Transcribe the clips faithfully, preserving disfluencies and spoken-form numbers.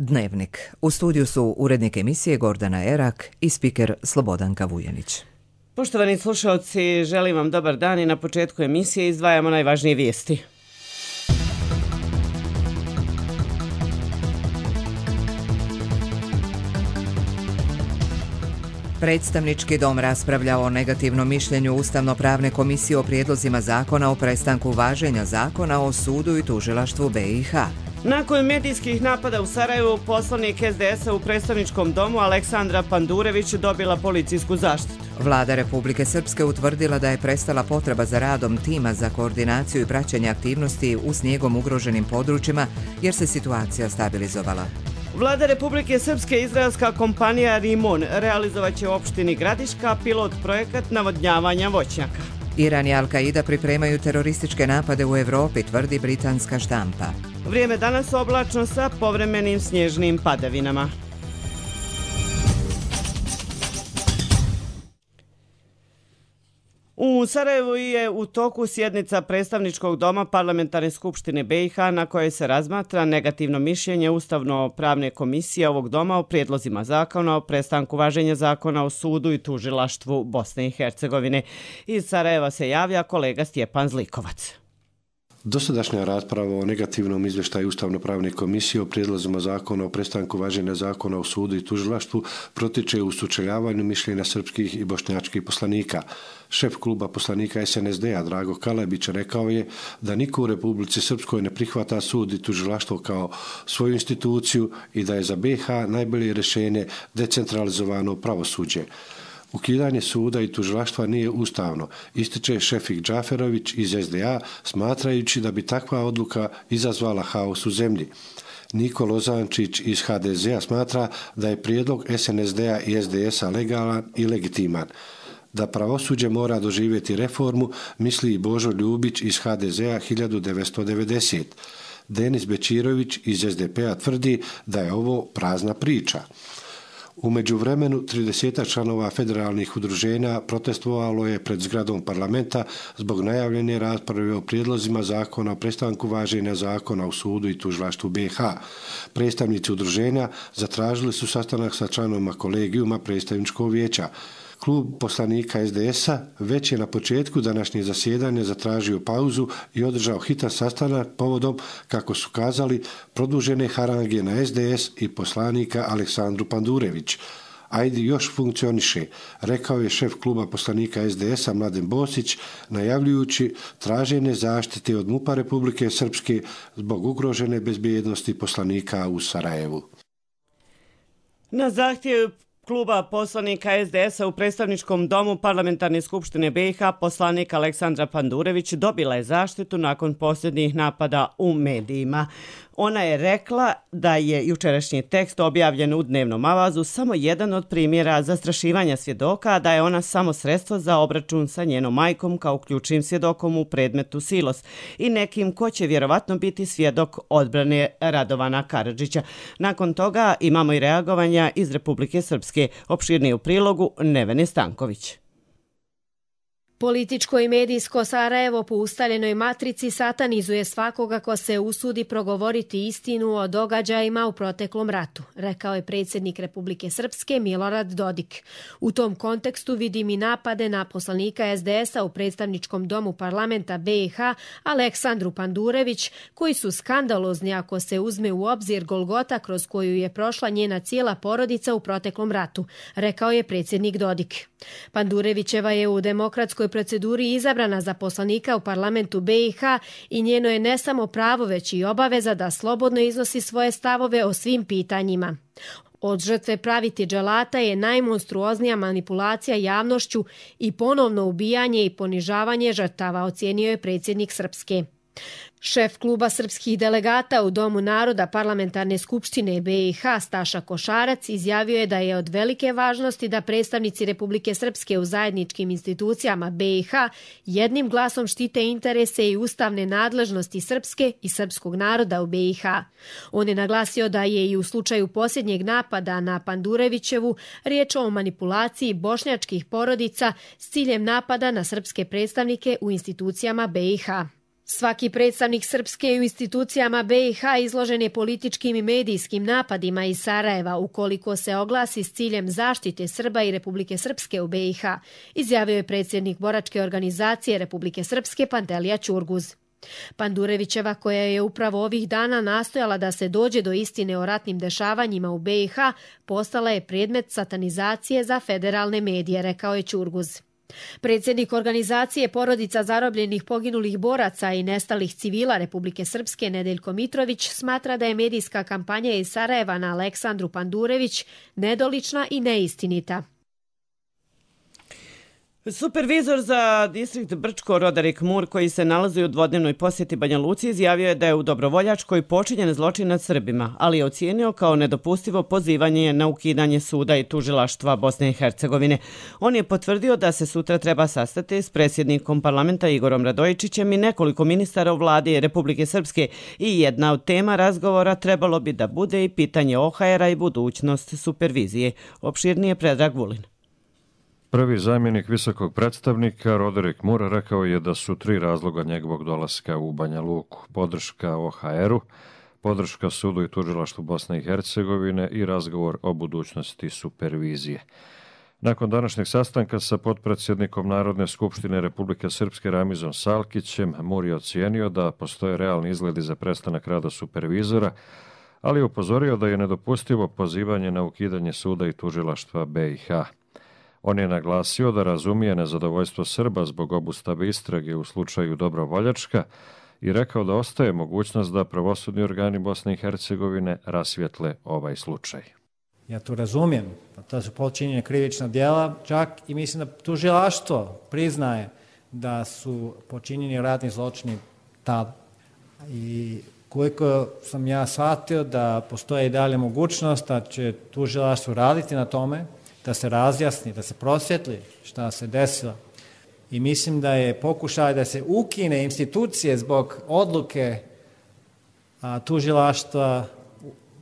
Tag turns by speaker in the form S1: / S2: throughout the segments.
S1: Dnevnik. U studiju su urednik emisije Gordana Erak i spiker Slobodanka Vujanić.
S2: Poštovani slušalci, želim vam dobar dan i na početku emisije izdvajamo najvažnije vijesti.
S1: Predstavnički dom raspravljao o negativnom mišljenju Ustavno-pravne komisije o prijedlozima zakona o prestanku važenja zakona o sudu i tužilaštvu B i H.
S2: Nakon medijskih napada u Sarajevu, poslanik S D S-a u predstavničkom domu Aleksandra Pandurević dobila policijsku zaštitu.
S1: Vlada Republike Srpske utvrdila da je prestala potreba za radom tima za koordinaciju i praćenje aktivnosti u snijegom ugroženim područjima jer se situacija stabilizovala.
S2: Vlada Republike Srpske i izraelska kompanija Rimon realizovat će u opštini Gradiška pilot projekat navodnjavanja voćnjaka.
S1: Iran i Al-Qaida pripremaju terorističke napade u Evropi, tvrdi britanska štampa.
S2: Vrijeme danas oblačno sa povremenim snježnim padavinama. U Sarajevu je u toku sjednica predstavničkog doma Parlamentarne skupštine B i H na kojoj se razmatra negativno mišljenje Ustavno-pravne komisije ovog doma o prijedlozima zakona o prestanku važenja zakona o sudu i tužilaštvu Bosne i Hercegovine. Iz Sarajeva se javlja kolega Stjepan Zlikovac.
S3: Dosadašnja rasprava o negativnom izvještaju Ustavno-pravne komisije o prijedlozima zakona o prestanku važenja zakona o sudu i tužilaštvu protiče u sučeljavanju mišljenja srpskih i bošnjačkih poslanika. Šef kluba poslanika S N S D-a Drago Kalebić rekao je da niko u Republici Srpskoj ne prihvata sud i tužilaštvo kao svoju instituciju i da je za B i H najbolje rješenje decentralizovano pravosuđe. Ukidanje suda i tužilaštva nije ustavno, ističe Šefik Džaferović iz S D A, smatrajući da bi takva odluka izazvala haos u zemlji. Niko Lozančić iz H D Z-a smatra da je prijedlog S N S D-a i S D S-a legalan i legitiman. Da pravosuđe mora doživjeti reformu, misli i Božo Ljubić iz H D Z-a hiljadu devetsto devedesete. Denis Bečirović iz S D P-a tvrdi da je ovo prazna priča. U međuvremenu trideset članova federalnih udruženja protestovalo je pred zgradom parlamenta zbog najavljene rasprave o prijedlozima zakona o prestanku važenja zakona o sudu i tužilaštvu B i H. Predstavnici udruženja zatražili su sastanak sa članovima kolegijuma predstavničkog vijeća. Klub poslanika S D S-a već je na početku današnje zasjedanja zatražio pauzu i održao hitan sastanak povodom, kako su kazali, produžene harange na S D S i poslanika Aleksandru Pandurević. Ajde još funkcioniše, rekao je šef kluba poslanika S D S-a Mladen Bosić, najavljujući traženje zaštite od MUP-a Republike Srpske zbog ugrožene bezbjednosti poslanika u Sarajevu.
S2: Na zahtjev kluba poslanika S D S-a u predstavničkom domu Parlamentarne skupštine B i H poslanik Aleksandra Pandurević dobila je zaštitu nakon posljednjih napada u medijima. Ona je rekla da je jučerašnji tekst objavljen u dnevnom avazu samo jedan od primjera zastrašivanja svjedoka, a da je ona samo sredstvo za obračun sa njenom majkom kao ključnim svjedokom u predmetu Silos i nekim ko će vjerovatno biti svjedok odbrane Radovana Karadžića. Nakon toga imamo i reagovanja iz Republike Srpske. Opširnije u prilogu Nevene Stanković.
S4: Političko i medijsko Sarajevo po ustaljenoj matrici satanizuje svakoga ko se usudi progovoriti istinu o događajima u proteklom ratu, rekao je predsjednik Republike Srpske Milorad Dodik. U tom kontekstu vidim i napade na poslanika S D S-a u predstavničkom domu parlamenta B i H Aleksandru Pandurević, koji su skandalozni ako se uzme u obzir golgota kroz koju je prošla njena cijela porodica u proteklom ratu, rekao je predsjednik Dodik. Pandurevićeva je u demokratskoj proceduri izabrana za poslanika u parlamentu B i H i njeno je ne samo pravo već i obaveza da slobodno iznosi svoje stavove o svim pitanjima. Od žrtve praviti dželata je najmonstruoznija manipulacija javnošću i ponovno ubijanje i ponižavanje žrtava, ocijenio je predsjednik Srpske. Šef kluba srpskih delegata u Domu naroda Parlamentarne skupštine B i H Staša Košarac izjavio je da je od velike važnosti da predstavnici Republike Srpske u zajedničkim institucijama B i H jednim glasom štite interese i ustavne nadležnosti Srpske i srpskog naroda u B i H. On je naglasio da je i u slučaju posljednjeg napada na Pandurevićevu riječ o manipulaciji bošnjačkih porodica s ciljem napada na srpske predstavnike u institucijama B i H. Svaki predstavnik Srpske u institucijama B i H izložen je političkim i medijskim napadima iz Sarajeva ukoliko se oglasi s ciljem zaštite Srba i Republike Srpske u B i H, izjavio je predsjednik boračke organizacije Republike Srpske Pantelija Ćurguz. Pandurevićeva, koja je upravo ovih dana nastojala da se dođe do istine o ratnim dešavanjima u B i H, postala je predmet satanizacije za federalne medije, rekao je Ćurguz. Predsjednik organizacije Porodica zarobljenih poginulih boraca i nestalih civila Republike Srpske Nedeljko Mitrović smatra da je medijska kampanja iz Sarajeva na Aleksandru Pandurević nedolična i neistinita.
S2: Supervizor za distrikt Brčko Roderik Mur, koji se nalazi u dvodnevnoj posjeti Banja Luci, izjavio je da je u Dobrovoljačkoj počinjen zločin nad Srbima, ali je ocijenio kao nedopustivo pozivanje na ukidanje suda i tužilaštva Bosne i Hercegovine. On je potvrdio da se sutra treba sastati s predsjednikom parlamenta Igorom Radojičićem i nekoliko ministara u vladi Republike Srpske i jedna od tema razgovora trebalo bi da bude i pitanje O H R-a i budućnost supervizije. Opširnije Predrag Vulin.
S5: Prvi zamjenik visokog predstavnika Roderik Mur rekao je da su tri razloga njegovog dolaska u Banja Luku: podrška O H R-u, podrška sudu i tužilaštvu Bosne i Hercegovine i razgovor o budućnosti supervizije. Nakon današnjeg sastanka sa potpredsjednikom Narodne skupštine Republike Srpske Ramizom Salkićem, Mur je ocijenio da postoje realni izgledi za prestanak rada supervizora, ali je upozorio da je nedopustivo pozivanje na ukidanje suda i tužilaštva B i H. On je naglasio da razumije nezadovoljstvo Srba zbog obustave istrage u slučaju Dobrovoljačka i rekao da ostaje mogućnost da pravosudni organi Bosne i Hercegovine rasvijetle ovaj slučaj.
S6: Ja to razumijem, to su počinjene krivična djela, čak i mislim da tužilaštvo priznaje da su počinjeni ratni zločini tada. I koliko sam ja shvatio da postoje i dalje mogućnost da će tužilaštvo raditi na tome, da se razjasni, da se prosvjetli šta se desilo. I mislim da je pokušaj da se ukine institucije zbog odluke a, tužilaštva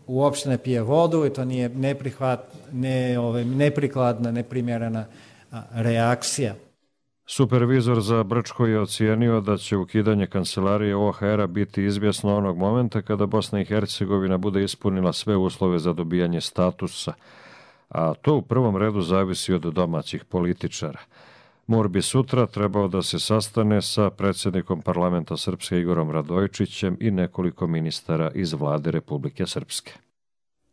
S6: uopšte ne pije vodu i to nije neprihvat, ne, ove, neprikladna, neprimjerena a, reakcija.
S5: Supervizor za Brčko je ocijenio da će ukidanje kancelarije O H R-a biti izvjesno onog momenta kada Bosna i Hercegovina bude ispunila sve uslove za dobijanje statusa, a to u prvom redu zavisi od domaćih političara. Mur bi sutra trebao da se sastane sa predsjednikom parlamenta Srpske Igorom Radojičićem i nekoliko ministara iz vlade Republike Srpske.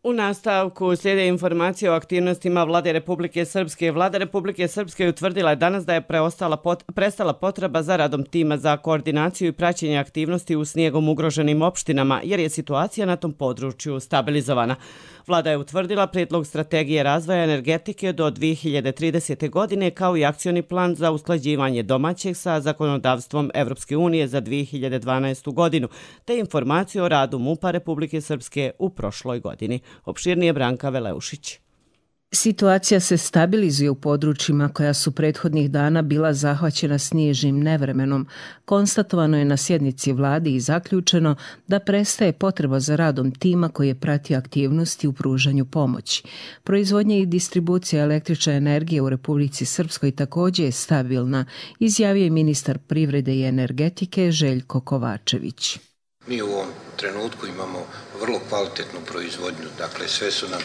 S2: U nastavku slijede informacije o aktivnostima vlade Republike Srpske. Vlada Republike Srpske utvrdila je danas da je preostala pot, prestala potreba za radom tima za koordinaciju i praćenje aktivnosti u snijegom ugroženim opštinama, jer je situacija na tom području stabilizovana. Vlada je utvrdila prijedlog strategije razvoja energetike do dvije hiljade tridesete. godine kao i akcioni plan za usklađivanje domaćeg sa zakonodavstvom Evropske unije za dvije hiljade dvanaestu. godinu, te informaciju o radu MUP-a Republike Srpske u prošloj godini. Opširnije Branka Veleušić.
S7: Situacija se stabilizuje u područjima koja su prethodnih dana bila zahvaćena snježnim nevremenom. Konstatovano je na sjednici vlade i zaključeno da prestaje potreba za radom tima koji je pratio aktivnosti u pružanju pomoći. Proizvodnja i distribucija električne energije u Republici Srpskoj također je stabilna, izjavio je ministar privrede i energetike Željko Kovačević.
S8: Mi u ovom trenutku imamo vrlo kvalitetnu proizvodnju, dakle sve su nam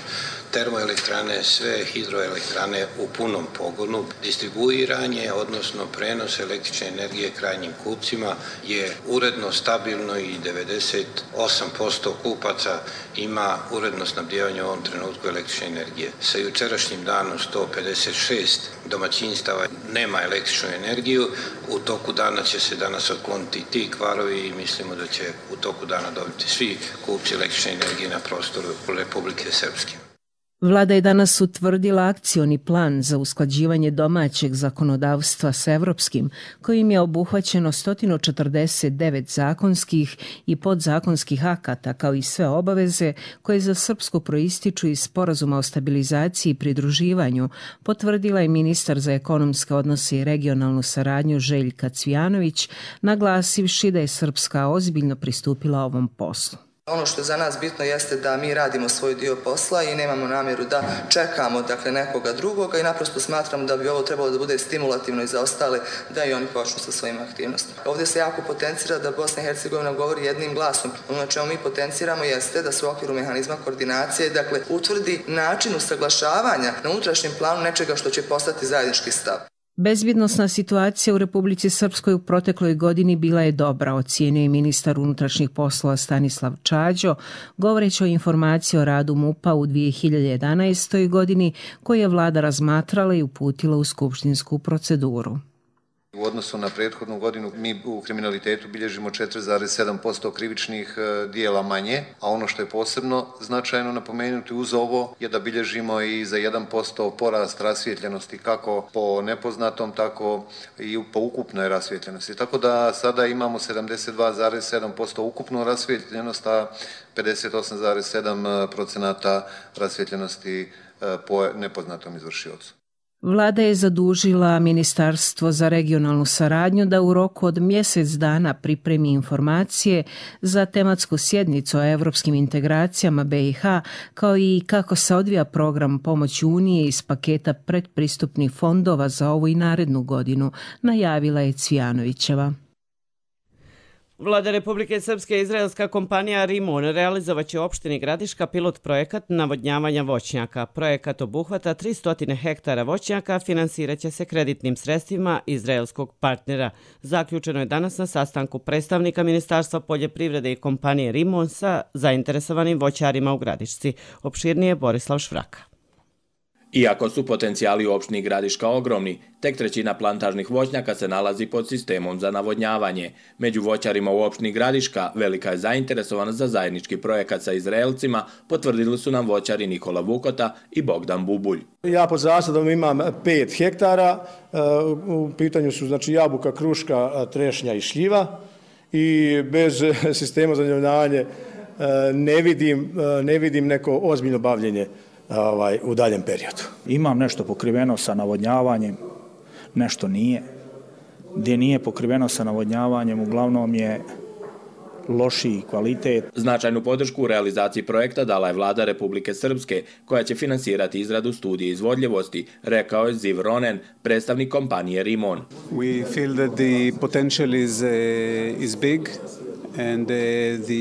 S8: termoelektrane, sve hidroelektrane u punom pogonu. Distribuiranje, odnosno prenos električne energije krajnjim kupcima je uredno, stabilno i devedeset osam posto kupaca ima uredno snabdijevanje u ovom trenutku električne energije. Sa jučerašnjim danom sto pedeset šest domaćinstava nema električnu energiju, u toku dana će se danas otkloniti ti kvarovi i mislimo da će u toku dana dobiti svi kupci električne energije na prostoru Republike Srpske.
S7: Vlada je danas utvrdila akcioni plan za usklađivanje domaćeg zakonodavstva s evropskim, kojim je obuhvaćeno sto četrdeset devet zakonskih i podzakonskih akata, kao i sve obaveze koje za Srpsku proističu iz Sporazuma o stabilizaciji i pridruživanju, potvrdila je ministar za ekonomske odnose i regionalnu saradnju Željka Cvijanović, naglasivši da je Srpska ozbiljno pristupila ovom poslu.
S9: Ono što je za nas bitno jeste da mi radimo svoj dio posla i nemamo namjeru da čekamo dakle, nekoga drugoga i naprosto smatramo da bi ovo trebalo da bude stimulativno i za ostale da i oni počnu sa svojim aktivnostima. Ovdje se jako potencira da Bosna i Hercegovina govori jednim glasom. Ono na čemu mi potenciramo jeste da se u okviru mehanizma koordinacije dakle, utvrdi način usaglašavanja na unutrašnjem planu nečega što će postati zajednički stav.
S7: Bezbjednosna situacija u Republici Srpskoj u protekloj godini bila je dobra, ocijenio je ministar unutrašnjih poslova Stanislav Čađo, govoreći o informaciji o radu MUP-a u dvije hiljade jedanaestoj. godini koju je vlada razmatrala i uputila u skupštinsku proceduru.
S10: U odnosu na prethodnu godinu mi u kriminalitetu bilježimo četiri zarez sedam posto krivičnih dijela manje, a ono što je posebno značajno napomenuti uz ovo je da bilježimo i za jedan posto porast rasvijetljenosti kako po nepoznatom, tako i po ukupnoj rasvijetljenosti. Tako da sada imamo sedamdeset dva zarez sedam posto ukupnu rasvijetljenost, a pedeset osam zarez sedam posto rasvijetljenosti po nepoznatom izvršiocu.
S7: Vlada je zadužila Ministarstvo za regionalnu saradnju da u roku od mjesec dana pripremi informacije za tematsku sjednicu o evropskim integracijama B i H, kao i kako se odvija program pomoći Unije iz paketa predpristupnih fondova za ovu i narednu godinu, najavila je Cvijanovićeva.
S2: Vlada Republike Srpske i izraelska kompanija Rimon realizovaće u opštini Gradiška pilot projekat navodnjavanja voćnjaka. Projekat obuhvata tristo hektara voćnjaka, finansirat će se kreditnim sredstvima izraelskog partnera. Zaključeno je danas na sastanku predstavnika Ministarstva poljoprivrede i kompanije Rimon sa zainteresovanim voćarima u Gradišci. Opširnije Borislav Švraka.
S11: Iako su potencijali u opštini Gradiška ogromni, tek trećina plantažnih voćnjaka se nalazi pod sistemom za navodnjavanje. Među voćarima u opštini Gradiška velika je zainteresovanost za zajednički projekat sa Izraelcima, potvrdili su nam voćari Nikola Vukota i Bogdan Bubulj.
S12: Ja pod zasadom imam pet hektara, u pitanju su znači jabuka, kruška, trešnja i šljiva i bez sistema za navodnjavanje ne vidim, ne vidim neko ozbiljno bavljenje Ovaj, u daljem periodu.
S13: Imam nešto pokriveno sa navodnjavanjem, nešto nije. Gdje nije pokriveno sa navodnjavanjem, uglavnom je lošiji kvalitet.
S11: Značajnu podršku u realizaciji projekta dala je vlada Republike Srpske, koja će finansirati izradu studije izvodljivosti, rekao je Ziv Ronen, predstavnik kompanije Rimon.
S14: We feel that the potential is, uh, is big.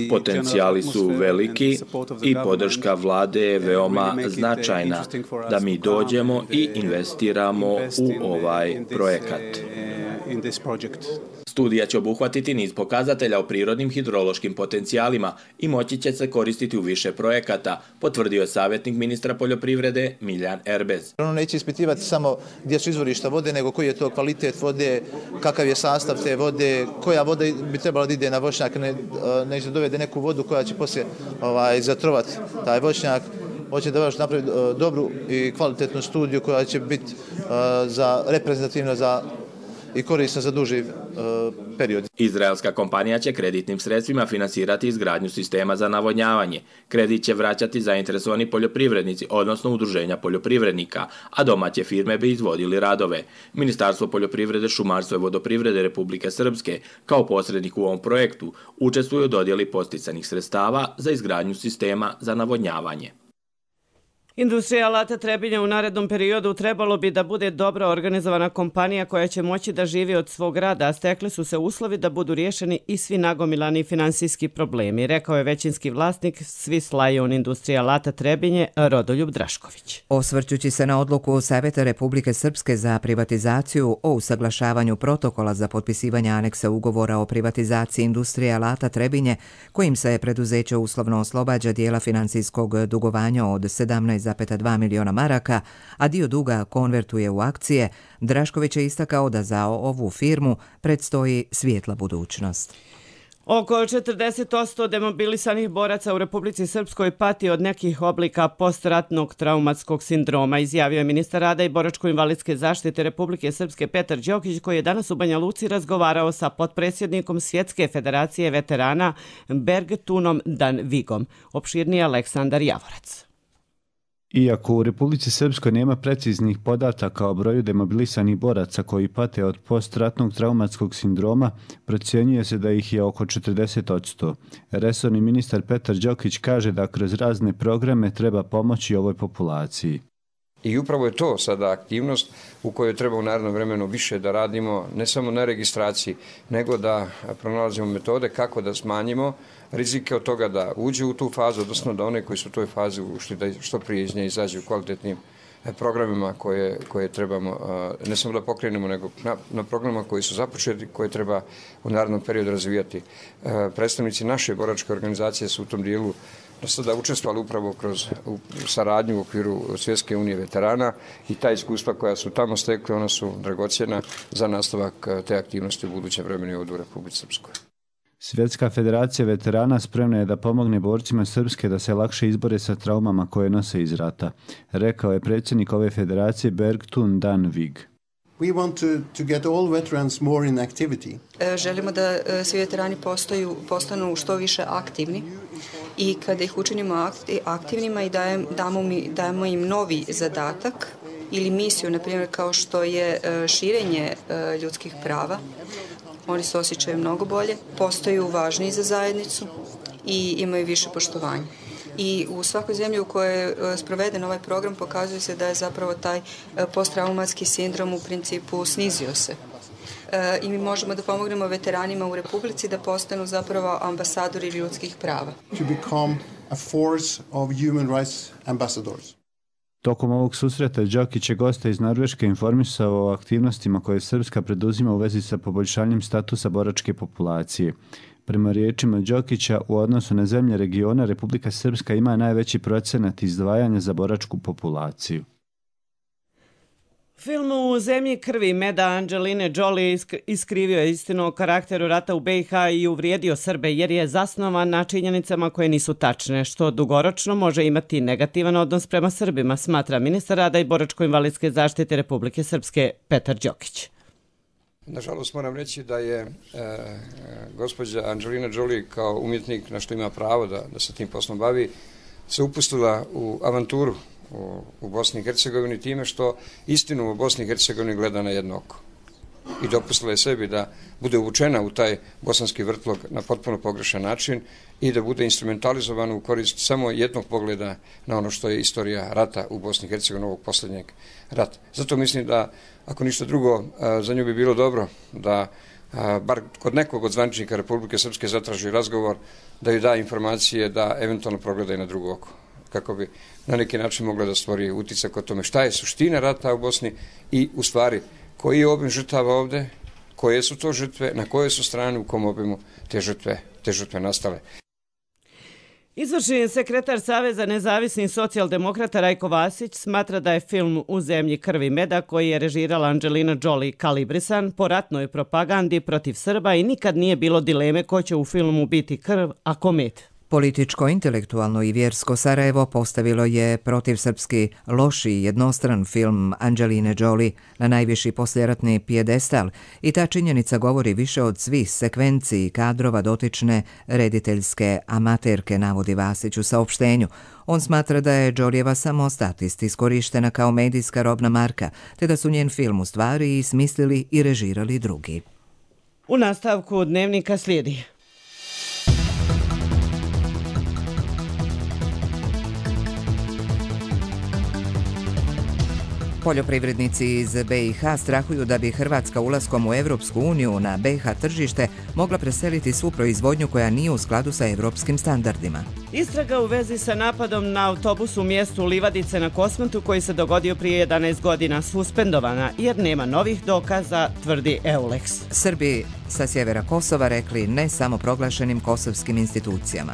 S11: Potencijali su veliki i podrška vlade je veoma značajna da mi dođemo i investiramo u ovaj projekat. Studija će obuhvatiti niz pokazatelja o prirodnim hidrološkim potencijalima i moći će se koristiti u više projekata, potvrdio je savjetnik ministra poljoprivrede Miljan Erbez.
S15: Ono neće ispitivati samo gdje su izvorišta vode, nego koji je to kvalitet vode, kakav je sastav te vode, koja voda bi trebala da ide na voćnjak, ne, ne da dovede neku vodu koja će poslije ovaj, zatrovati taj voćnjak. Hoće da vaš napravi dobru i kvalitetnu studiju koja će biti za reprezentativna za i korisna za duži uh, period.
S11: Izraelska kompanija će kreditnim sredstvima finansirati izgradnju sistema za navodnjavanje. Kredit će vraćati zainteresovani poljoprivrednici, odnosno udruženja poljoprivrednika, a domaće firme bi izvodili radove. Ministarstvo poljoprivrede, šumarstva i vodoprivrede Republike Srpske, kao posrednik u ovom projektu, učestvuju u dodjeli posticanih sredstava za izgradnju sistema za navodnjavanje.
S2: Industrija alata Trebinje u narednom periodu trebalo bi da bude dobro organizovana kompanija koja će moći da živi od svog rada, a stekli su se uslovi da budu riješeni i svi nagomilani finansijski problemi, rekao je većinski vlasnik Swiss Lion Industrija alata Trebinje Rodoljub Drašković.
S1: Osvrćući se na odluku Saveta Republike Srpske za privatizaciju o usaglašavanju protokola za potpisivanje aneksa ugovora o privatizaciji Industrije alata Trebinje, kojim se preduzeće uslovno oslobađa dijela finansijskog dugovanja od sedamnaest zarez dva miliona maraka, a dio duga konvertuje u akcije, Drašković je istakao da za ovu firmu predstoji svijetla budućnost.
S2: Oko četrdeset posto demobilisanih boraca u Republici Srpskoj pati od nekih oblika postratnog traumatskog sindroma, izjavio je ministar rada i boračko-invalidske zaštite Republike Srpske Petar Đokić, koji je danas u Banja Luci razgovarao sa potpredsjednikom Svjetske federacije veterana Bergtunom Dan Vigom. Opširnije Aleksandar Javorac.
S14: Iako u Republici Srpskoj nema preciznih podataka o broju demobilisanih boraca koji pate od postratnog traumatskog sindroma, procjenjuje se da ih je oko četrdeset posto. Resorni ministar Petar Đokić kaže da kroz razne programe treba pomoći ovoj populaciji.
S16: I upravo je to sada aktivnost u kojoj treba u narednom vremenu više da radimo, ne samo na registraciji, nego da pronalazimo metode kako da smanjimo rizike od toga da uđe u tu fazu, odnosno da one koji su u toj fazi ušli da što prije iz nje izađu kvalitetnim programima koje, koje trebamo, ne samo da pokrenemo, nego na, na programima koji su započeti, koje treba u narednom periodu razvijati. Predstavnici naše boračke organizacije su u tom dijelu do sada učestvovali upravo kroz saradnju u okviru Svjetske unije veterana i ta iskustva koja su tamo stekli, ona su dragocjena za nastavak te aktivnosti u budućem vremenu ovdje u Republici Srpskoj.
S14: Svjetska federacija veterana spremna je da pomogne borcima Srpske da se lakše izbore sa traumama koje nose iz rata, rekao je predsjednik ove federacije Bergtun Danvig.
S17: We want to, to get all veterans more in activity.
S18: Želimo da svi veterani postaju, postanu što više aktivni i kada ih učinimo aktivnima i dajem, damo, mi, damo im novi zadatak ili misiju, na primjer kao što je širenje ljudskih prava, oni se osjećaju mnogo bolje, postaju važniji za zajednicu i imaju više poštovanja. I u svakoj zemlji u kojoj je sproveden ovaj program pokazuje se da je zapravo taj posttraumatski sindrom u principu snizio se. I mi možemo da pomognemo veteranima u Republici da postanu zapravo ambasadori ljudskih prava.
S17: To become a force of human rights ambassadors.
S14: Tokom ovog susreta Đokić je gosta iz Norveške informisao o aktivnostima koje Srpska preduzima u vezi sa poboljšanjem statusa boračke populacije. Prema riječima Đokića, u odnosu na zemlje regiona, Republika Srpska ima najveći procenat izdvajanja za boračku populaciju.
S2: Film U zemlji krvi meda Angeline Jolie iskrivio je istinu o karakteru rata u be i ha i uvrijedio Srbe jer je zasnovan na činjenicama koje nisu tačne, što dugoročno može imati negativan odnos prema Srbima, smatra ministar rada i boračko-invalidske zaštite Republike Srpske Petar Đokić.
S16: Nažalost moram reći da je e, gospođa Angelina Jolie kao umjetnik, na što ima pravo da, da se tim poslom bavi, se upustila u avanturu u, u Bosni i Hercegovini time što istinu u Bosni i Hercegovini gleda na jedno oko. I dopustila je sebi da bude uvučena u taj bosanski vrtlog na potpuno pogrešan način i da bude instrumentalizovana u korist samo jednog pogleda na ono što je istorija rata u Bosni i Hercegovini, ovog posljednjeg rata. Zato mislim da, ako ništa drugo, za nju bi bilo dobro da bar kod nekog od zvaničnika Republike Srpske zatraži razgovor, da joj da informacije, da eventualno progleda i na drugo oko, kako bi na neki način mogla da stvori utisak o tome šta je suština rata u Bosni i u stvari koji je obim žrtava ovde, koje su to žrtve, na koje su strane, u kom obimu te žrtve, te žrtve nastale.
S2: Izvršni sekretar Saveza nezavisnih socijaldemokrata Rajko Vasić smatra da je film U zemlji krvi meda, koji je režirala Angelina Jolie, kalibrisan po ratnoj propagandi protiv Srba i nikad nije bilo dileme ko će u filmu biti krv, a ko med.
S1: Političko, intelektualno i vjersko Sarajevo postavilo je protiv srpski loši jednostran film Angeline Jolie na najviši posljeratni pijedestal i ta činjenica govori više od svih sekvenciji i kadrova dotične rediteljske amaterke, navodi Vasić u saopštenju. On smatra da je Jolieva samo statist iskorištena kao medijska robna marka, te da su njen film u stvari i smislili i režirali drugi.
S2: U nastavku dnevnika slijedi.
S1: Poljoprivrednici iz be i ha strahuju da bi Hrvatska ulaskom u Evropsku uniju na be i ha tržište mogla preseliti svu proizvodnju koja nije u skladu sa evropskim standardima.
S2: Istraga u vezi sa napadom na autobus u mjestu Livadice na Kosmatu koji se dogodio prije jedanaest godina suspendovana jer nema novih dokaza, tvrdi Eulex.
S1: Srbi sa sjevera Kosova rekli ne samo proglašenim kosovskim institucijama.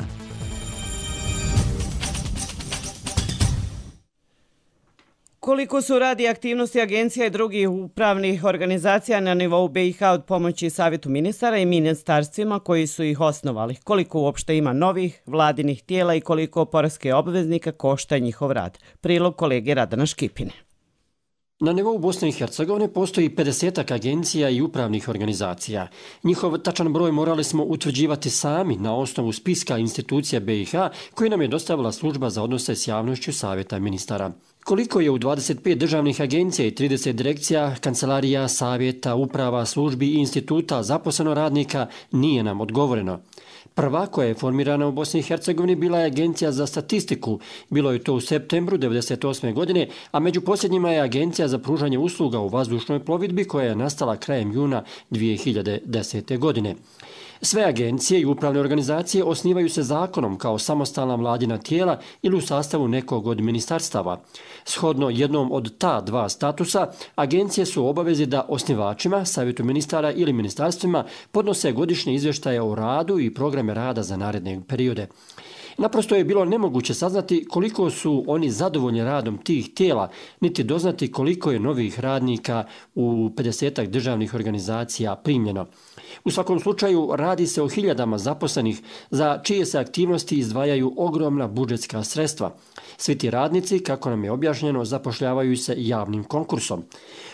S2: Koliko su radi aktivnosti agencija i drugih upravnih organizacija na nivou be i ha od pomoći Savjetu ministara i ministarstvima koji su ih osnovali? Koliko uopšte ima novih vladinih tijela i koliko poreske obveznika košta njihov rad? Prilog kolege Radana Škipine.
S19: Na nivou Bosne i Hercegovine postoji pedesetak agencija i upravnih organizacija. Njihov tačan broj morali smo utvrđivati sami na osnovu spiska institucija B i H koji nam je dostavila služba za odnose s javnošću Savjeta ministara. Koliko je u dvadeset pet državnih agencija i trideset direkcija, kancelarija, savjeta, uprava, službi i instituta zaposleno radnika nije nam odgovoreno. Prva koja je formirana u Bosni i Hercegovini bila je Agencija za statistiku. Bilo je to u septembru devedeset osme. godine, a među posljednjima je Agencija za pružanje usluga u vazdušnoj plovidbi koja je nastala krajem juna dvije hiljade desete. godine. Sve agencije i upravne organizacije osnivaju se zakonom kao samostalna vladina tijela ili u sastavu nekog od ministarstava. Shodno jednom od ta dva statusa, agencije su u obavezi da osnivačima, savjetu ministara ili ministarstvima podnose godišnje izvještaje o radu i programe rada za naredne periode. Naprosto je bilo nemoguće saznati koliko su oni zadovoljni radom tih tijela, niti doznati koliko je novih radnika u pedesetak državnih organizacija primljeno. U svakom slučaju radi se o hiljadama zaposlenih za čije se aktivnosti izdvajaju ogromna budžetska sredstva. Svi ti radnici, kako nam je objašnjeno, zapošljavaju se javnim konkursom.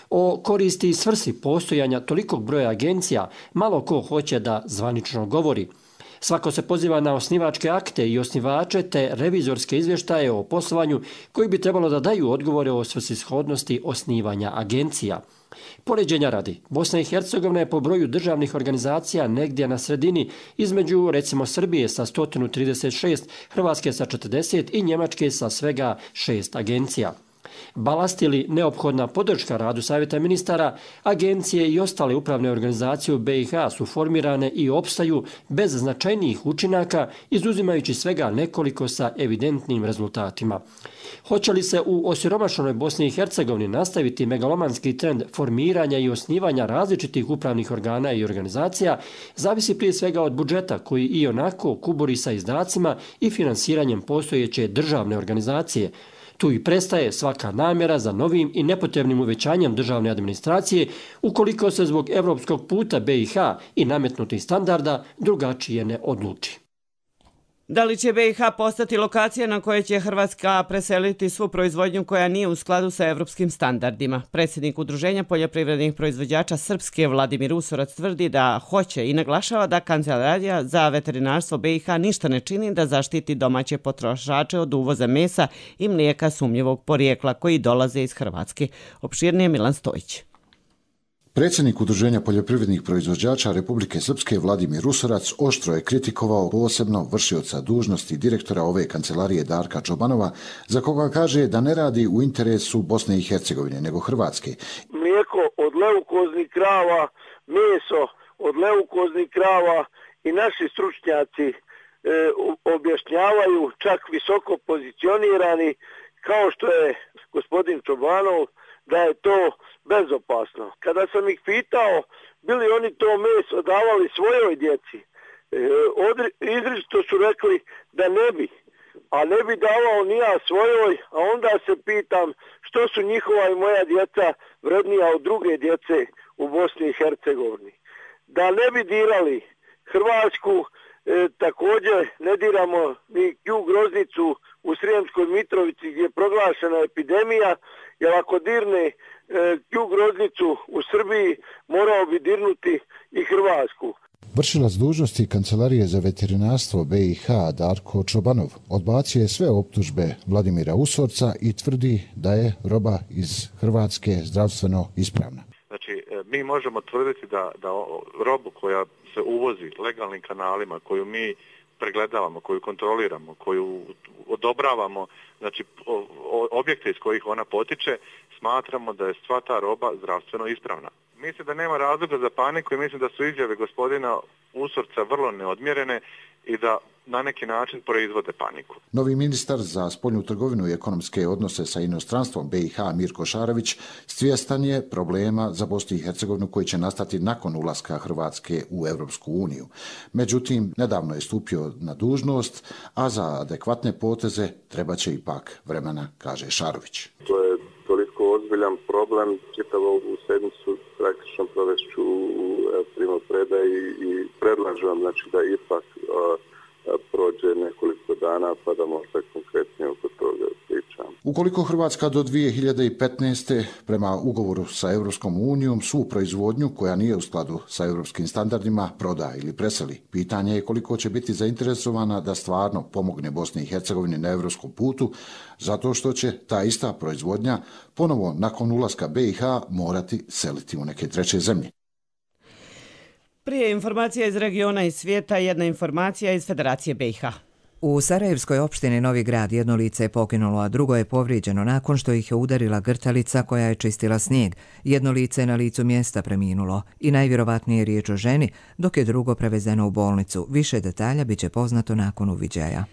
S19: O koristi i svrsi postojanja tolikog broja agencija malo ko hoće da zvanično govori. Svako se poziva na osnivačke akte i osnivače te revizorske izvještaje o poslovanju koji bi trebalo da daju odgovore o svrsishodnosti osnivanja agencija. Poređenja radi, Bosna i Hercegovina je po broju državnih organizacija negdje na sredini između recimo Srbije sa sto trideset šest, Hrvatske sa četrdeset i Njemačke sa svega šest agencija. Balast ili neophodna podrška radu Savjeta ministara, agencije i ostale upravne organizacije u B i H su formirane i opstaju bez značajnijih učinaka, izuzimajući svega nekoliko sa evidentnim rezultatima. Hoće li se u osiromašenoj Bosni i Hercegovini nastaviti megalomanski trend formiranja i osnivanja različitih upravnih organa i organizacija, zavisi prije svega od budžeta koji i onako kuburi sa izdacima i finansiranjem postojeće državne organizacije. Tu i prestaje svaka namjera za novim i nepotrebnim uvećanjem državne administracije ukoliko se zbog evropskog puta B i H i nametnutih standarda drugačije ne odluči.
S2: Da li će B i H postati lokacija na kojoj će Hrvatska preseliti svu proizvodnju koja nije u skladu sa evropskim standardima? Predsjednik Udruženja poljoprivrednih proizvođača Srpske Vladimir Usorac tvrdi da hoće i naglašava da Kancelarija za veterinarstvo B i H ništa ne čini da zaštiti domaće potrošače od uvoza mesa i mlijeka sumnjivog porijekla koji dolaze iz Hrvatske. Opširnije Milan Stojić.
S20: Predsjednik Udruženja poljoprivrednih proizvođača Republike Srpske Vladimir Usorac oštro je kritikovao posebno vršioca dužnosti direktora ove kancelarije Darka Čobanova, za koga kaže da ne radi u interesu Bosne i Hercegovine, nego Hrvatske.
S21: Mlijeko od leukoznih krava, meso od leukoznih krava i naši stručnjaci e, objašnjavaju, čak visoko pozicionirani, kao što je gospodin Čobanov, da je to bezopasno. Kada sam ih pitao bili oni to meso davali svojoj djeci, izričito su rekli da ne bi, a ne bi davao ni ja svojoj, a onda se pitam što su njihova i moja djeca vrednija od druge djece u Bosni i Hercegovini. Da ne bi dirali Hrvatsku, e, također ne diramo ni Q groznicu u Srijemskoj Mitrovici gdje je proglašena epidemija, jer ako dirne e, Q groznicu u Srbiji, morao bi dirnuti i Hrvatsku.
S20: Vršilac dužnosti Kancelarije za veterinarstvo B i H Darko Čobanov odbacio je sve optužbe Vladimira Usorca i tvrdi da je roba iz Hrvatske zdravstveno ispravna.
S22: Znači, mi možemo tvrditi da, da robu koja se uvozi legalnim kanalima, koju mi pregledavamo, koju kontroliramo, koju odobravamo, znači objekte iz kojih ona potiče, smatramo da je sva ta roba zdravstveno ispravna. Mislim da nema razloga za paniku i mislim da su izjave gospodina Usorca vrlo neodmjerene i da na neki način proizvode paniku.
S20: Novi ministar za spoljnu trgovinu i ekonomske odnose sa inostranstvom B i H Mirko Šarović svjestan je problema za Bosnu i Hercegovinu koji će nastati nakon ulaska Hrvatske u Europsku uniju. Međutim, nedavno je stupio na dužnost, a za adekvatne poteze treba će ipak vremena, kaže Šarović.
S23: To je toliko ozbiljan problem, čitavu ovu sedmicu praktično provešću u primopredaji i predlažem znači, da ipak a, a, prođe nekoliko dana pa da možda konkretnije oko toga pričam.
S20: Ukoliko Hrvatska do dvije hiljade petnaeste prema ugovoru sa Europskom unijom svu proizvodnju koja nije u skladu sa europskim standardima proda ili preseli, pitanje je koliko će biti zainteresovana da stvarno pomogne Bosni i Hercegovini na europskom putu, zato što će ta ista proizvodnja ponovo nakon ulaska B i H morati seliti u neke treće zemlje.
S2: Prije informacija iz regiona i svijeta, jedna informacija iz Federacije B i H.
S1: U Sarajevskoj opštini Novi Grad jedno lice je poginulo, a drugo je povrijeđeno nakon što ih je udarila grtalica koja je čistila snijeg. Jedno lice je na licu mjesta preminulo i najvjerovatnije je riječ o ženi, dok je drugo prevezeno u bolnicu. Više detalja biće poznato nakon uviđaja.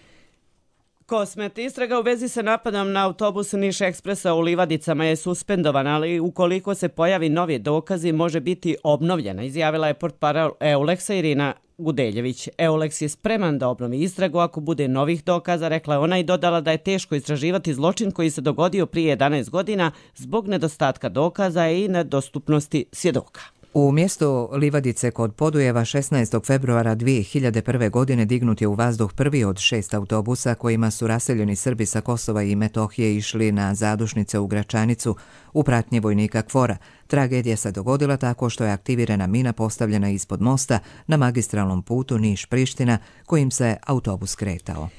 S2: Kosmet. Istraga u vezi sa napadom na autobus Niš Ekspresa u Livadicama je suspendovana, ali ukoliko se pojavi novi dokazi može biti obnovljena, izjavila je portparol Euleksa Irina Gudeljević. Euleks je spreman da obnovi istragu ako bude novih dokaza, rekla je ona i dodala da je teško istraživati zločin koji se dogodio prije jedanaest godina zbog nedostatka dokaza i nedostupnosti svjedoka.
S1: U mjestu Livadice kod Podujeva šesnaestog februara dvije hiljade prve. godine dignut je u vazduh prvi od šest autobusa kojima su raseljeni Srbi sa Kosova i Metohije išli na zadušnice u Gračanicu u pratnji vojnika Kvora. Tragedija se dogodila tako što je aktivirana mina postavljena ispod mosta na magistralnom putu Niš-Priština kojim se autobus kretao.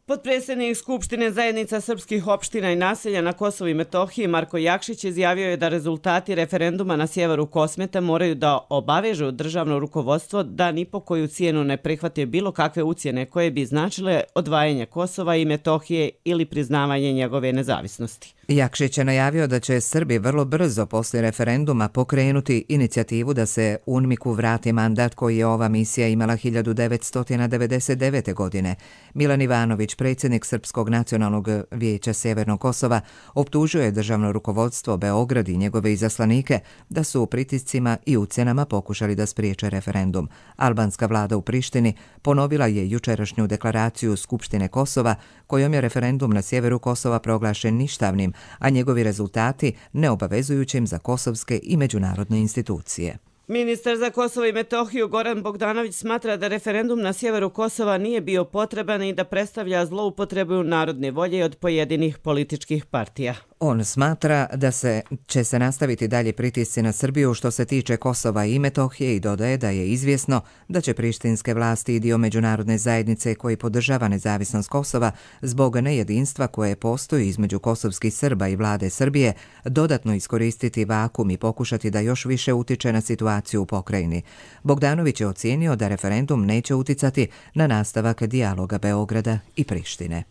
S2: Potpredsjednik Skupštine zajednica srpskih opština i naselja na Kosovu i Metohiji Marko Jakšić izjavio je da rezultati referenduma na sjeveru Kosmeta moraju da obavežu državno rukovodstvo da ni po koju cijenu ne prihvate bilo kakve ucjene koje bi značile odvajanje Kosova i Metohije ili priznavanje njegove nezavisnosti.
S1: Jakšić je najavio da će Srbi vrlo brzo poslije referenduma pokrenuti inicijativu da se UNMIK-u vrati mandat koji je ova misija imala hiljadu devetsto devedeset devete. godine. Milan Ivanović, predsjednik Srpskog nacionalnog vijeća Sjevernog Kosova, optužio je državno rukovodstvo Beograd i njegove izaslanike da su u pritiscima i ucjenama pokušali da spriječe referendum. Albanska vlada u Prištini ponovila je jučerašnju deklaraciju Skupštine Kosova kojom je referendum na sjeveru Kosova proglašen ništavnim, a njegovi rezultati neobavezujućim za kosovske i međunarodne institucije.
S2: Ministar za Kosovo i Metohiju Goran Bogdanović smatra da referendum na sjeveru Kosova nije bio potreban i da predstavlja zloupotrebu narodne volje od pojedinih političkih partija.
S1: On smatra da se će se nastaviti dalje pritisci na Srbiju što se tiče Kosova i Metohije i dodaje da je izvjesno da će prištinske vlasti i dio međunarodne zajednice koji podržava nezavisnost Kosova zbog nejedinstva koje postoji između kosovskih Srba i vlade Srbije dodatno iskoristiti vakum i pokušati da još više utiče na situaciju u pokrajini. Bogdanović je ocijenio da referendum neće uticati na nastavak dijaloga Beograda i Prištine.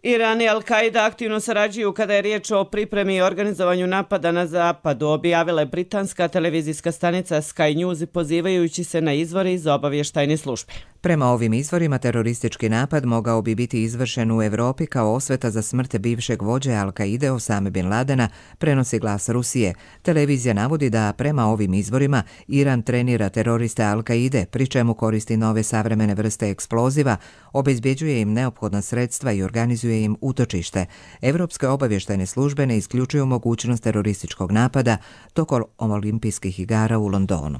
S2: Iran i Al-Qaida aktivno sarađuju kada je riječ o pripremi i organizovanju napada na zapadu, objavila je britanska televizijska stanica Sky News pozivajući se na izvore iz obavještajne službe.
S1: Prema ovim izvorima, teroristički napad mogao bi biti izvršen u Evropi kao osveta za smrt bivšeg vođe Al-Qaide Osame bin Ladena, prenosi Glas Rusije. Televizija navodi da prema ovim izvorima Iran trenira teroriste Al-Qaide, pri čemu koristi nove savremene vrste eksploziva, obezbjeđuje im neophodna sredstva i organizuje im utočište. Evropske obavještajne službe ne isključuju mogućnost terorističkog napada tokom olimpijskih igara u Londonu.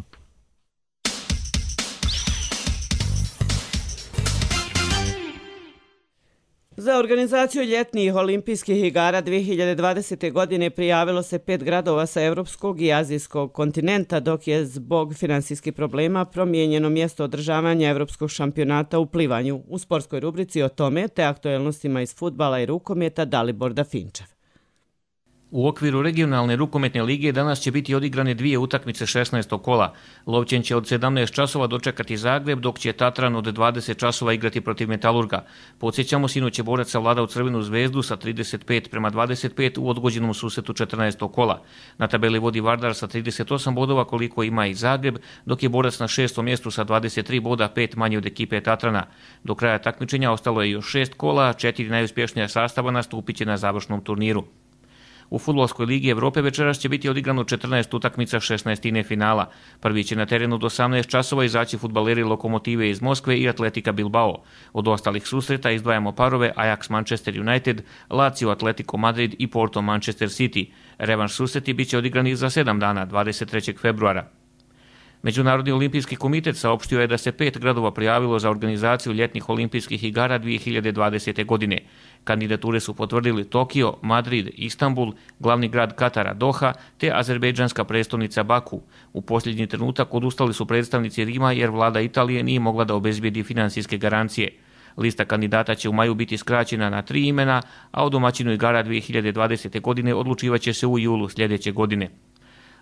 S2: Za organizaciju ljetnih olimpijskih igara dvije hiljade dvadesete. godine prijavilo se pet gradova sa evropskog i azijskog kontinenta, dok je zbog finansijskih problema promijenjeno mjesto održavanja evropskog šampionata u plivanju. U sportskoj rubrici o tome te aktuelnostima iz fudbala i rukometa Dalibor Dafinčev.
S3: U okviru regionalne rukometne lige danas će biti odigrane dvije utakmice šesnaestog kola. Lovćen će od sedamnaest časova dočekati Zagreb, dok će Tatran od dvadeset časova igrati protiv Metalurga. Podsjećamo, sinoć je borac savladao Crvenu zvezdu sa trideset pet prema dvadeset pet u odgođenom susretu četrnaestog kola. Na tabeli vodi Vardar sa trideset osam bodova koliko ima i Zagreb, dok je borac na šestom mjestu sa dvadeset tri boda, pet manje od ekipe Tatrana. Do kraja takmičenja ostalo je još šest kola, četiri najuspješnija sastava nastupit će na završnom turniru. U Fudbalskoj ligi Evrope večeras će biti odigrano četrnaest utakmica šesnaestine finala. Prvi će na terenu do osamnaest časova izaći fudbaleri Lokomotive iz Moskve i Atletika Bilbao. Od ostalih susreta izdvajamo parove Ajax Manchester United, Lazio Atletico Madrid i Porto Manchester City. Revanš susreti bit će odigrani za sedam dana, dvadeset trećeg februara. Međunarodni olimpijski komitet saopštio je da se pet gradova prijavilo za organizaciju ljetnih olimpijskih igara dvije hiljade dvadesete. godine. Kandidature su potvrdili Tokio, Madrid, Istanbul, glavni grad Katara Doha te azerbejdžanska prestolnica Baku. U posljednji trenutak odustali su predstavnici Rima jer vlada Italije nije mogla da obezbijedi financijske garancije. Lista kandidata će u maju biti skraćena na tri imena, a o domaćinu igara dvije hiljade dvadesete. godine odlučivaće se u julu sljedeće godine.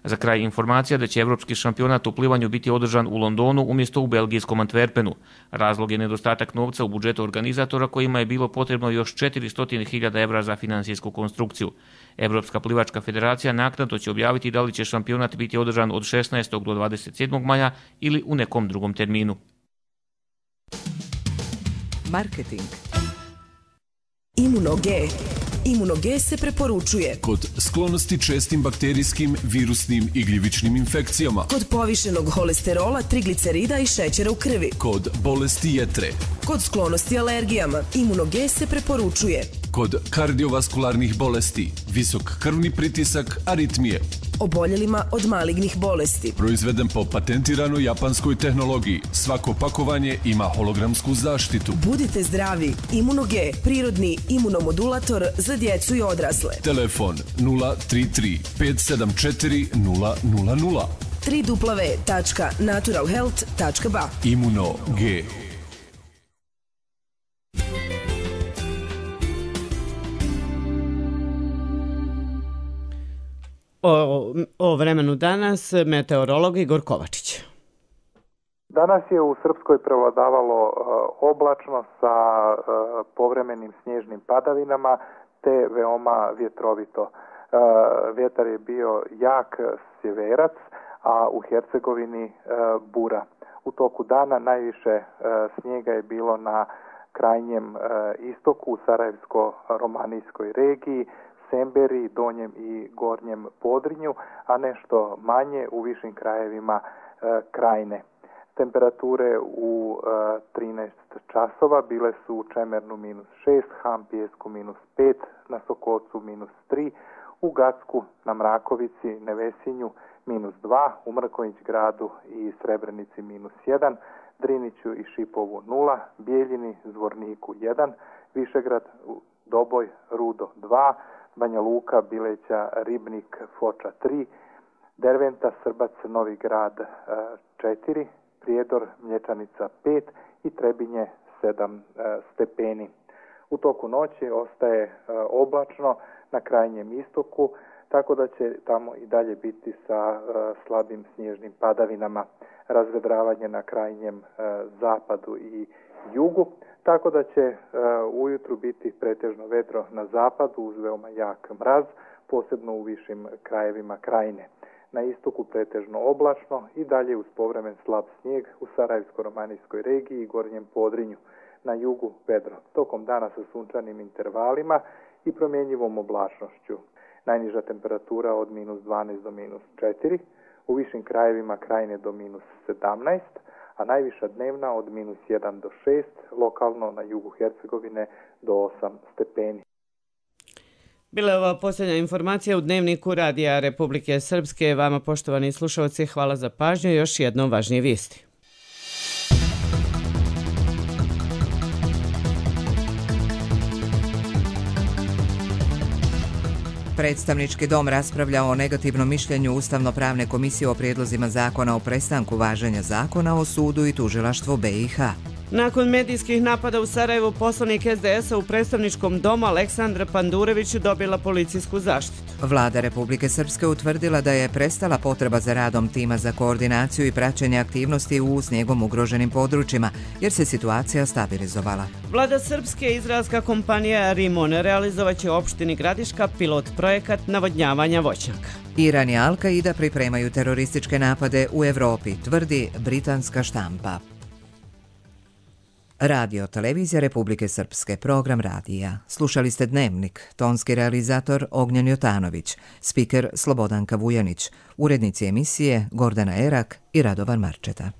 S3: Za kraj informacija da će evropski šampionat u plivanju biti održan u Londonu umjesto u belgijskom Antwerpenu. Razlog je nedostatak novca u budžetu organizatora kojima je bilo potrebno još četiristo hiljada evra za finansijsku konstrukciju. Evropska plivačka federacija naknadno će objaviti da li će šampionat biti održan od šesnaestog do dvadeset sedmog maja ili u nekom drugom terminu.
S1: Marketing.
S4: Imuno-G. Imuno-G se preporučuje
S5: kod sklonosti čestim bakterijskim, virusnim i gljivičnim infekcijama,
S4: kod povišenog holesterola, triglicerida i šećera u krvi,
S5: kod bolesti jetre,
S4: kod sklonosti alergijama. Imuno-G se preporučuje
S5: kod kardiovaskularnih bolesti, visok krvni pritisak, aritmije,
S4: oboljelima od malignih bolesti.
S5: Proizveden po patentiranoj japanskoj tehnologiji. Svako pakovanje ima hologramsku zaštitu.
S4: Budite zdravi. Imuno-G, prirodni imunomodulator za djecu i odrasle.
S5: Telefon nula tri tri pet sedam četiri nula nula nula.
S4: w w w tačka natural health tačka b a.
S5: Imuno-G.
S2: O, o vremenu danas, meteorolog Igor Kovačić.
S6: Danas je u Srpskoj prevladavalo uh, oblačno sa uh, povremenim snježnim padavinama te veoma vjetrovito. Uh, vjetar je bio jak sjeverac, a u Hercegovini uh, bura. U toku dana najviše uh, snijega je bilo na krajnjem uh, istoku, u Sarajevsko-romanijskoj regiji, Semberi, Donjem i Gornjem Podrinju, a nešto manje u višim krajevima e, Krajine. Temperature u e, trinaest časova bile su u Čemernu minus šest, Hampijesku minus pet, na Sokocu minus tri, u Gacku, na Mrakovici, Nevesinju minus dva, u Mrkonjić gradu i Srebrenici minus jedan, Driniću i Šipovu nula, Bijeljini, Zvorniku jedan, Višegrad, Doboj, Rudo dva, Banja Luka, Bileća, Ribnik, Foča tri, Derventa, Srbac, Novi Grad četiri, Prijedor, Mlječanica pet i Trebinje sedam stepeni. U toku noći ostaje oblačno na krajnjem istoku, tako da će tamo i dalje biti sa slabim snježnim padavinama, razvedravanje na krajnjem zapadu i jugu, tako da će uh, ujutru biti pretežno vedro na zapadu uz veoma jak mraz, posebno u višim krajevima Krajine. Na istoku pretežno oblačno i dalje uz povremen slab snijeg u Sarajevsko-romanijskoj regiji i Gornjem Podrinju. Na jugu vedro, tokom dana sa sunčanim intervalima i promjenjivom oblačnošću. Najniža temperatura od minus dvanaest do minus četiri, u višim krajevima Krajine do minus sedamnaest, a najviša dnevna od minus jedan do šest, lokalno na jugu Hercegovine do osam stepeni.
S2: Bila je ova posljednja informacija u Dnevniku Radija Republike Srpske. Vama, poštovani slušalci, hvala za pažnju i još jednom važnije vijesti.
S1: Predstavnički dom raspravlja o negativnom mišljenju Ustavno-pravne komisije o prijedlozima zakona o prestanku važenja zakona o sudu i tužilaštvu B i H.
S2: Nakon medijskih napada u Sarajevu, poslanik S D S-a u predstavničkom domu Aleksandra Pandurević dobila policijsku zaštitu.
S1: Vlada Republike Srpske utvrdila da je prestala potreba za radom tima za koordinaciju i praćenje aktivnosti u snijegom ugroženim područjima, jer se situacija stabilizovala.
S2: Vlada Srpske i izraelska kompanija Rimon realizovaće u opštini Gradiška pilot projekat navodnjavanja voćnjaka.
S1: Iran i Al-Qaida pripremaju terorističke napade u Evropi, tvrdi britanska štampa. Radio Televizija Republike Srpske, program radija. Slušali ste Dnevnik, tonski realizator Ognjen Jotanović, spiker Slobodanka Vujanić, urednici emisije Gordana Erak i Radovan Marčeta.